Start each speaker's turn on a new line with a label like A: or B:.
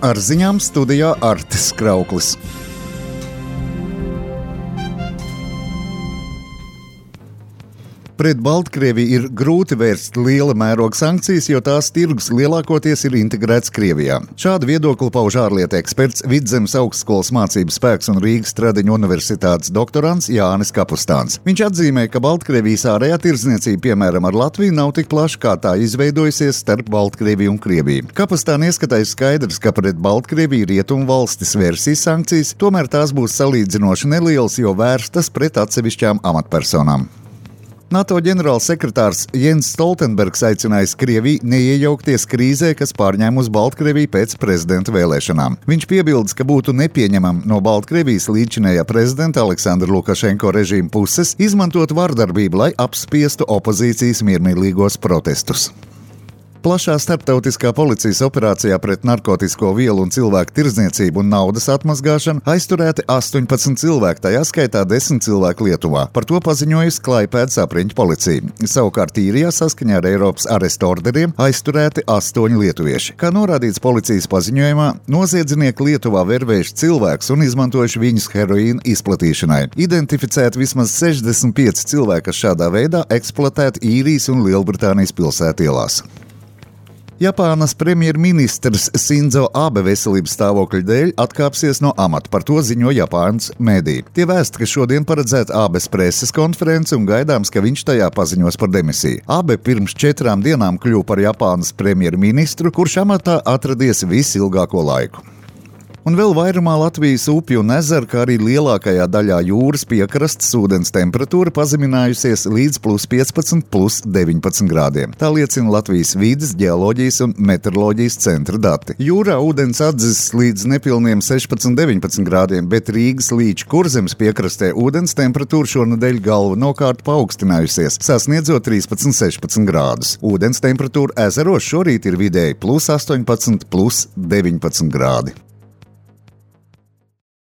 A: Ar ziņām studijā Artis Krauklis. Pret Baltkrieviju ir grūti vērst liela mēroga sankcijas, jo tās tirgus lielākoties ir integrēts Krievijā. Šādu viedokli pauž ārlietu eksperts, Vidzemes augstskolas mācību spēks un Rīgas Stradiņu universitātes doktorants Jānis Kapustāns. Viņš atzīmē, ka Baltkrievijas ārējā tirdzniecība, piemēram, ar Latviju, nav tik plaša, kā tā izveidojusies starp Baltkrieviju un Krieviju. Kapustāna ieskatā ir skaidrs, ka pret Baltkrieviju rietumu valstis vērsīs sankcijas, tomēr tās būs salīdzinoši nelielas, jo vērstas pret atsevišķām amatpersonām. NATO ģenerālsekretārs Jens Stoltenbergs aicinājis Krieviju neiejaukties krīzē, kas pārņēmusi Baltkrieviju pēc prezidenta vēlēšanām. Viņš piebildes, ka būtu nepieņemam no Baltkrievijas līdzinējā prezidenta Aleksandra Lukašenko režīma puses izmantot vardarbību, lai apspiestu opozīcijas miermīlīgos protestus. Plašā starptautiskā policijas operācijā pret narkotisko vielu un cilvēku tirdzniecību un naudas atmazgāšanu aizturēti 18 cilvēki, tajā skaitā 10 cilvēku Lietuvā. Par to paziņojusi Klaipēdas apriņķu policija. Savukārt Īrijā saskaņā ar Eiropas arestu orderiem aizturēti 8 lietuvieši. Kā norādīts policijas paziņojumā, noziedznieki Lietuvā vervējuši cilvēkus un izmantojuši viņus heroīna izplatīšanai. Identificēti vismaz 65 cilvēki, kas šādā veidā eksploatēti Īrijas un Lielbritānijas pilsētielās. Japānas premjerministrs Sinzo Abe veselības stāvokļa dēļ atkāpsies no amata, par to ziņo Japānas mediji. Tie vēsta, ka šodien paredzēta Abes preses konference un gaidāms, ka viņš tajā paziņos par demisiju. Abe pirms 4 dienām kļuva par Japānas premjerministru, kurš amatā atradies visilgāko laiku. Un vēl vairumā Latvijas upju un ezeru, kā arī lielākajā daļā jūras piekrastes ūdens temperatūra pazeminājusies līdz +15, +19 grādiem. Tā liecina Latvijas vides, ģeoloģijas un meteoroloģijas centra dati. Jūrā ūdens atzis līdz nepilniem 16-19 grādiem, bet Rīgas līča Kurzemes piekrastē ūdens temperatūra šonedēļ galvenokārt paaugstinājusies, sasniedzot 13-16 grādus. Ūdens temperatūra ezeros šorīt ir vidēji +18, +19 grādi.